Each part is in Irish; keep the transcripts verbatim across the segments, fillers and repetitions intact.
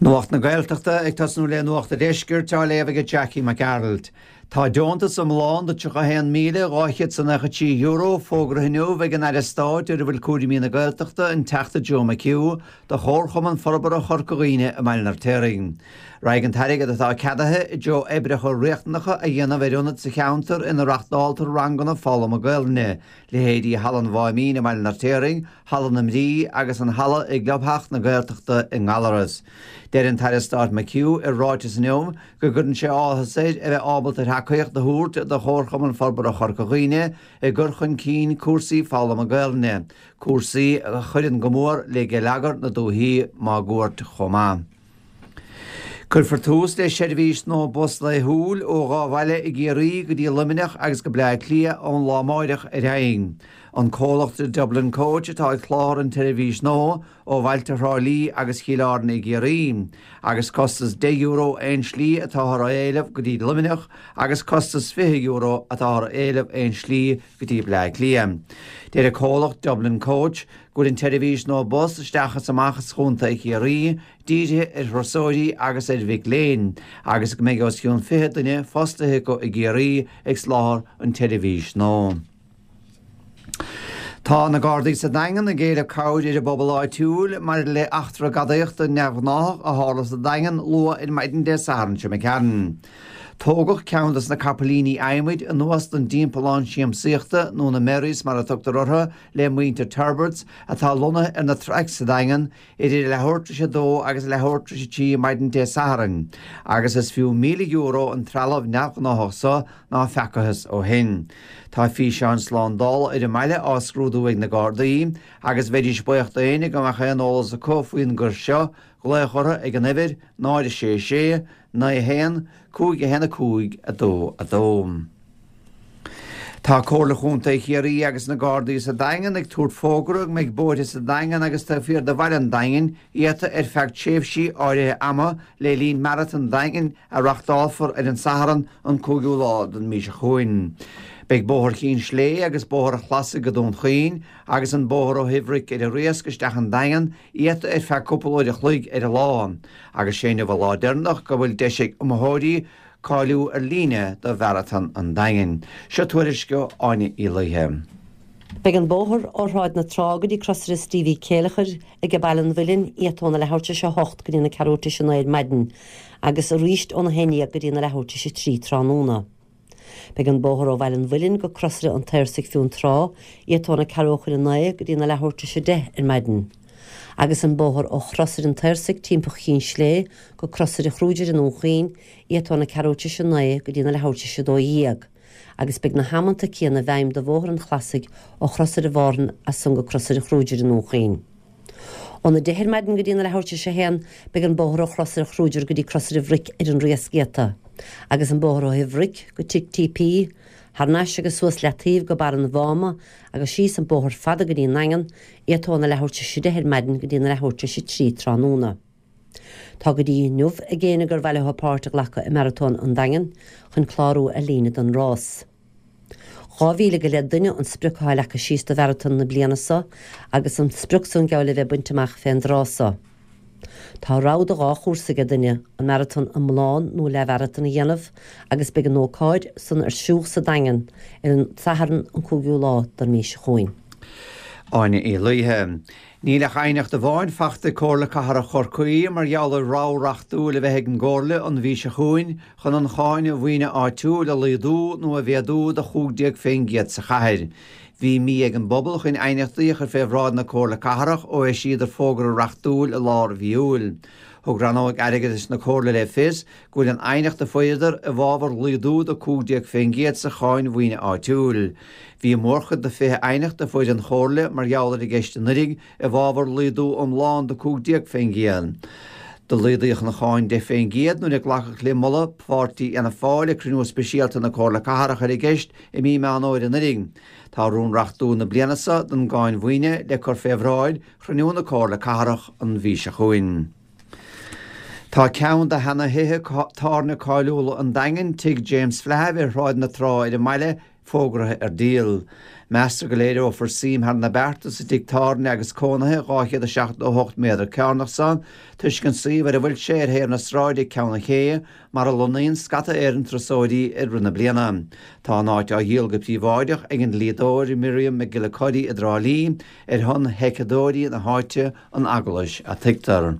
Nuacht na Gaeltachta ag tosnú le Nuacht an Deiscirt á léamh ag Jackie Mac Gearailt. Tá deontas iomlán de tríocha haon míle dhá chéad is nócha trí euro fógartha inniu ag an Aire Stáit ar a bhfuil cúraimí na Gaeltachta, an Teachta Joe McHugh, do Chomharchumann Forbartha Chorca Dhuibhne i mBaile an Fheirtéaraigh. Raghaidh an t-airgead atá ceadaithe i dtreo oibreacha riachtanacha a dhéanamh ar ionaid sa cheantar ina reachtáltar ranganna foghlama Gaelainne, leithéidí Halla an Mháimín i mBaile an Fheirtéaraigh, Halla na Mrí agus an Halla i gClubtheach na Gaeltachta i nGallaras. Deir an tAire Stáit McHugh i ráiteas inniu go gcuireann sé áthas air a bheith ábalta tacaíocht a thabhairt do Chomharchumann Forbartha Chorca Dhuibhne i gcur chun cinn cúrsaí foghlama Gaelainne, cúrsaí a chuireann go mór le geilleagar na dúichí máguaird chomh maith. Cuirfear tús le seirbhís nua bus laethúil ó dhá bhaile i gCiarraí go dtí Luimneach agus go Bleá Cliath ón lá amáireach ar aghaidh. An comhlacht Dublin Coach atá ag soláthar an tseirbhís nua ó bhailte Thrá Lí agus Chill Airne i gCiarraí, agus costas deich euro aon slí atáthar a éileamh go dtí Luimneach agus costas fiche euro atáthar a éileamh aon slí go dtí Bleá Cliath. Deir an comhlacht Dublin Coach go bhfuil an tseirbhís nua bus isteach is amach as Chontae Chiarraí dírithe ar thurasóirí agus ar mhic léinn, agus go mbeidh os cionn fiche duine fostaithe acu i gCiarraí ag soláthar an tseirbhís nua. Tá na Gardaí sa Daingean ag éileamh cabhair ar an bpobal áitiúil maidir le eachtra gadaíochta neamhghnáthach a tharla sa Daingean luath ar maidin Dé Sathairn seo imigh tharainn. Tógadh ceann des na capaillíní adhmaid anuas don dtimpeallán siamsaíochta, nó na Merries mar a tugtar orthu, le muintir Turberts, atá lonnaithe ar na traic sa Daingean, idir leathuair tar éis a dó agus leathuair tar éis a trí maidin Dé Sathairn, agus is fiú míle euro an trealamh neamhghnáthach so ná feacathas ó shin. Tá físeáin slándála ar an mbaile á scrúdú ag na Gardaí, agus bheidís buíoch d'éinne go mbeadh aon eolas acu faoin gcoir seo, glaoch orthu ag an uimhir, náid a sé sé, naoi a haon, cúig a haon a cúig, a dó a dó. Tá Comhairle Chontae Chiarraí agus na Gardaí sa Daingean ag tabhairt fógra go mbeidh bóithre sa Daingean agus taobh thiar de bhaile an Daingin iata ar feadh tréimhsí áirithe ama le linn Maratón an Daingin a reachtálfar ar an Satharn an cúigiú lá den mhí seo chugainn. Beidh Bóthar Chinn Slé agus Bóthar an Chlasaigh go Dún Chaoin agus an bóthar ó Thigh Bhric ar an Riasc isteach an Daingean iata ar feadh cúpla uair a chloig ar an lá, agus sé inniu an lá deireanach go bhfuil deis ag iomaitheoirí cáiliú ar líne do Mharatón an Daingin. Seo tuairisc ó Áine Uí Laoithe. Beidh an bóthar ó Shráid na Trá go dtí Crosaire Stevie Céileachair ag Baile an Mhuilinn iata óna leathuair tar éis a hocht go dtí na ceathrú tar éis a naoi ar maidin, agus arís óna haon déag go dtí na leathuair tar éis a trí tráthnóna. Beidh an bóthar ó Bhaile an Mhuilinn go Crosaire an tSaorsaigh Fionntrá iata óna ceathrú chun a naoi go dtí na leathuair tar éis a deich ar maidin. Agus an bóthar ó Chrosaire an tSaorsaigh timpeall Chinn Slé go Crosaire Chrúidir i nDún Chaoin iata óna ceathrú tar éis a naoi go dtí na leathuair tar éis a dó dhéag, agus beidh na hamanta céanna i bhfeidhm do Bhóthar an Chlasaigh ó Chrosaire Mhárthain as san go Crosaire Chrúidir i nDún Chaoin. Óna deich ar maidin go dtí na leathuair tar éis a haon beidh an bóthar ó Chrosaire Chrúidir go dtí Crosaire Bhric ar an Riasc iata, agus an bóthar ó Thigh Bhric go Tigh TP, thar n-ais agus suas leataobh go Barr an Mháma agus síos an bóthar fada go dtí an Daingean, iata óna leathuair tar éis a deich ar maidin go dtí na leathuair tar éis a trí tráthnóna. Tá go dtí inniu ag éinne gur mhaith leo páirt a ghlacadh i Maratón an Daingin chun clárú ar líne don rás. Dhá mhíle go leith duine an sprioc atá leagtha síos do mharatón na bliana seo agus an sprioc san geall le bheith bainte amach fén dtráth seo. Tá rogha de dhá chúrsa ag duine an maratón iomlán nó leathmharatón a dhéanamh agus beidh an ócáid san ar siúl sa Daingean ar an Satharn an cúigiú lá den mhí seo chugainn. Áine Uí Laoithe. Níl ach aighneacht amháin faighte ag Comhairle Cathrach Chorcaí mar gheall ar rogha reachtúil a bheith ag an gComhairle an mhí seo chugainn chun an cháin mhaoine áitiúil a laghdú nó a mhéadú do chúig déag faoin gcéad sa chathair. Bhí mí ag an bpobal chun aighneachtaí a chur fé bhráid na Comhairle Cathrach ó eisíodar fógra reachtúil i lár mhí Iúil. Thug rannóg airgeadais na Comhairle le fios go bhfuil an aighneacht a fuaireadar i bhfabhar laghdú de cúig déag faoin gcéad sa cháin mhaoine áitiúil. Bhí mórchuid de fiche aighneacht a fuair an Chomhairle mar gheall ar an gceist anuraidh i bhfabhar laghdú iomlán de cúig déag faoin gcéad. Do laghdaíodh an cháin deich faoin gcéad nuair a glacadh le moladh pháirtí Fhianna Fáil ag cruinniú speisialta na Comhairle Cathrach ar an gceist i mí Meán Fhómhair anuraidh. Tá rún reachtúil na bliana seo don gcáin mhaoine le cur fé bhráid chruinniú na Comhairle Cathrach an mhí seo chugainn. Tá ceann de sheana-thithe tábhairne cáiliúla an Daingin, Tigh James Flahive ar Shráid na Trá ar an mbaile, fógraithe ar díol. Meastar go léireofar suim thar na bearta sa tigh tábhairne agus cónaithe dhá chéad a seachtó a hocht méadar cearnach san, toisc an suíomh ar a bhfuil sé ar thaobh na sráide ag Ceann an Ché, mar a lonnaíonn scata Éireann turasóirí i rith na bliana. Tá an áit á dhíol go príobháideach ag an dlíodóir Miriam McGillicuddy i dTrá Lí, ar shon sheiceadóirí na háite, an Eaglais a tuigtear.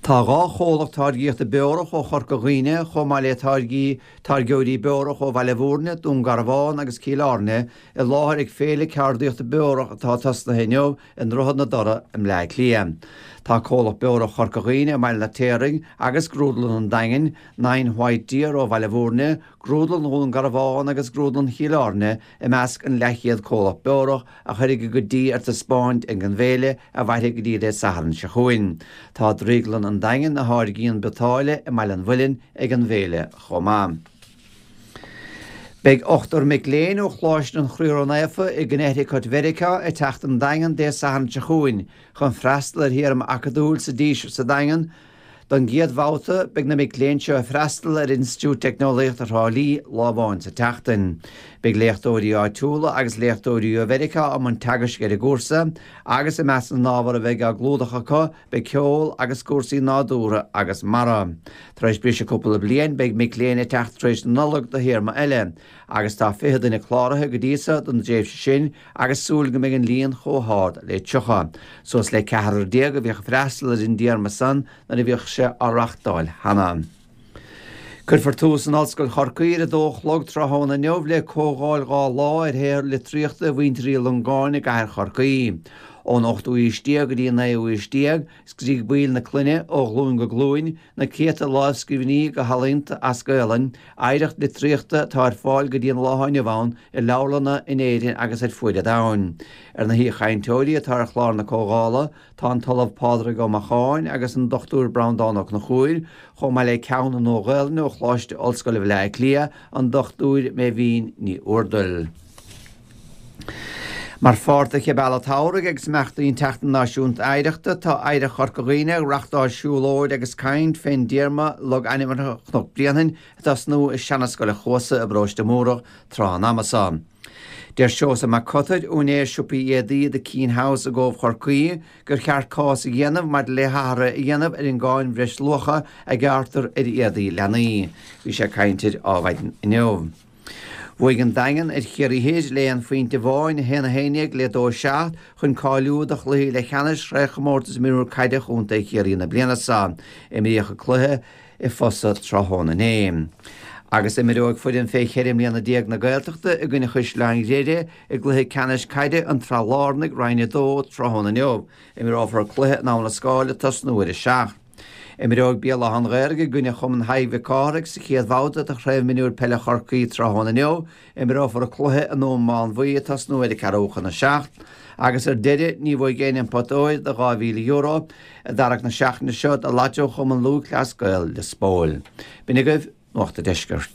Tá dhá chomhlacht táirgíochta beorach ó Chorca Dhuibhne, chomh maith le táirgí táirgeoirí beorach ó Bhaile Bhúirne, Dún Garbhán agus Cill Airne, i láthair ag Féile Ceardaíochta Beorach atá tosnaithe inniu i nDroichead na dToradh i mBleá Cliath. Tá Comhlacht Beorach Chorca Dhuibhne i mBaile an Fheirtéaraigh agus Grúdlann an Daingin, Nine White Deer ó Bhaile Bhúirne, Grúdlann Dhún Garbhán agus Grúdlann Chill Airne i measc an leathchéad comhlacht beorach a chuirfidh a gcuid dí ar taispeáint ag an bhféile a mhairfidh go dtí Dé Sathairn seo chugainn. Tá Drioglann an Daingin, a tháirgíonn biotáille i mBaile an Mhuilinn, ag an bhféile chomh maith. Beidh ochtar mic léinn ó Choláiste an Chroí Ró-Naofa i gConnecticut Mheiriceá ag teacht an Daingean Dé Sathairn seo chugainn chun freastal ar théarma acadúil sa Díseart sa Daingean. Don gcéad bhabhta, beidh na mic léinn seo ag freastal ar Institiúid Teicneolaíochta Thrá Lí lá amháin sa tseachtain. Beidh léachtóirí áitiúla agus léachtóirí ó Mheiriceá i mbun teagaisc ar an gcúrsa, agus i measc na n-ábhar a bheidh á gclúdach acu beidh ceol agus cúrsaí nádúrtha agus mara. Tar éis briseadh cúpla bliain, beidh mic léinn ag teacht tar éis na Nollag do théarma eile, agus tá fiche duine cláraithe go dtí so don dtréimhse sin agus súil go mbeidh an líon chomh hard le tríocha. Suas le ceathrar déag a bhíodh ag freastal ar an dtéarma san nuair a bhíodh sé á reachtáil cheana. Cuirfear tús in Ollscoil Chorcaí ar a dó a chlog tráthnóna inniu le comhdháil dhá lá ar shaothar litríochta mhuintir Uí Longáin i gcathair Chorcaí. Ón ochtú haois déag go dtí an naoú haois déag, scrígh baill na clainne ó ghlúin go glúin na céadta lámhscríbhinní go healaíonta as Gaolainn, oidhreacht litríochta atá ar fáil go dtí an lá inniu ann i leabharlanna in Éirinn agus ar fuaid an domhain. Ar na haoichainteoirí atá ar chlár na comhdhála tá an tOllamh Pádraig Ó Macháin agus an Dochtúir Breandán Ó Conchúir, chomh maith le Ceann na Nua-Ghaelainne ó Choláiste Ollscoile Bhaile Átha Cliath, an Dochtúir Meidhbhín Ní Úrdail. Mar pháirt de Cheith Bealach tSamhraidh agus imeachtaí an tSeachtain Náisiúnta Oidhreachta, tá Oidhreacht Chorca Dhuibhne ag reachtáil siúlóid agus caint fén dtéarma Logainmneacha Chnoc Bréanainn ag tosnú i Seanascoil a' Chuasa i bParóiste Múrach tráth an ama so. Deir Seosamh Mac Cotair, úinéir siopaí éadaí The Keane House i gCóbh Chorcaí, gur cheart cás a dhéanamh maidir le hathruithe a dhéanamh ar an gcáin bhreisluacha a ghearrtar ar éadaí leanaí. Bhí sé ag caint ar Adhmhaidin inniu. Bhuaigh an Daingean ar Chiarraí Thoir le aon phointe amháin, a haon a haon déag le dó a seacht, chun cáiliú do chluichí leathcheannais Chraobhchomórtas Mionúr Caide Chontae Chiarraí na bliana seo. Imríodh an cluiche i Fosa tráthnóna inné. Agus imreoidh foireann fé cheithre mbliana déag na Gaeltachta i gcoinne Chaisleáin Ghriaire i gcluiche ceannais caide an tSraith Lárnaigh, Roinn a dó, tráthnóna inniu. Imreofar an cluiche in Abha na Scáil ag tosnú ar a seacht. Imreoidh Béal Átha an Ghaorthaidh i gcoinne Chumann Thaidhg Mhic Cárthaigh sa chéad bhabhta de Chraobh Mionúir Peile Chorcaí tráthnóna inniu. Imreofar an cluiche i nDún Mánmhaí ag tosnú ar a ceathrú chun a seacht. Agus ar deireadh, ní bhuafaidh éinne an pota óir de dhá mhíle euro i dtarrac na seachtaine seo do Lotto Chumann Lúthchleas Gael Lios Póil. B'in agaibh Nuacht an Deiscirt.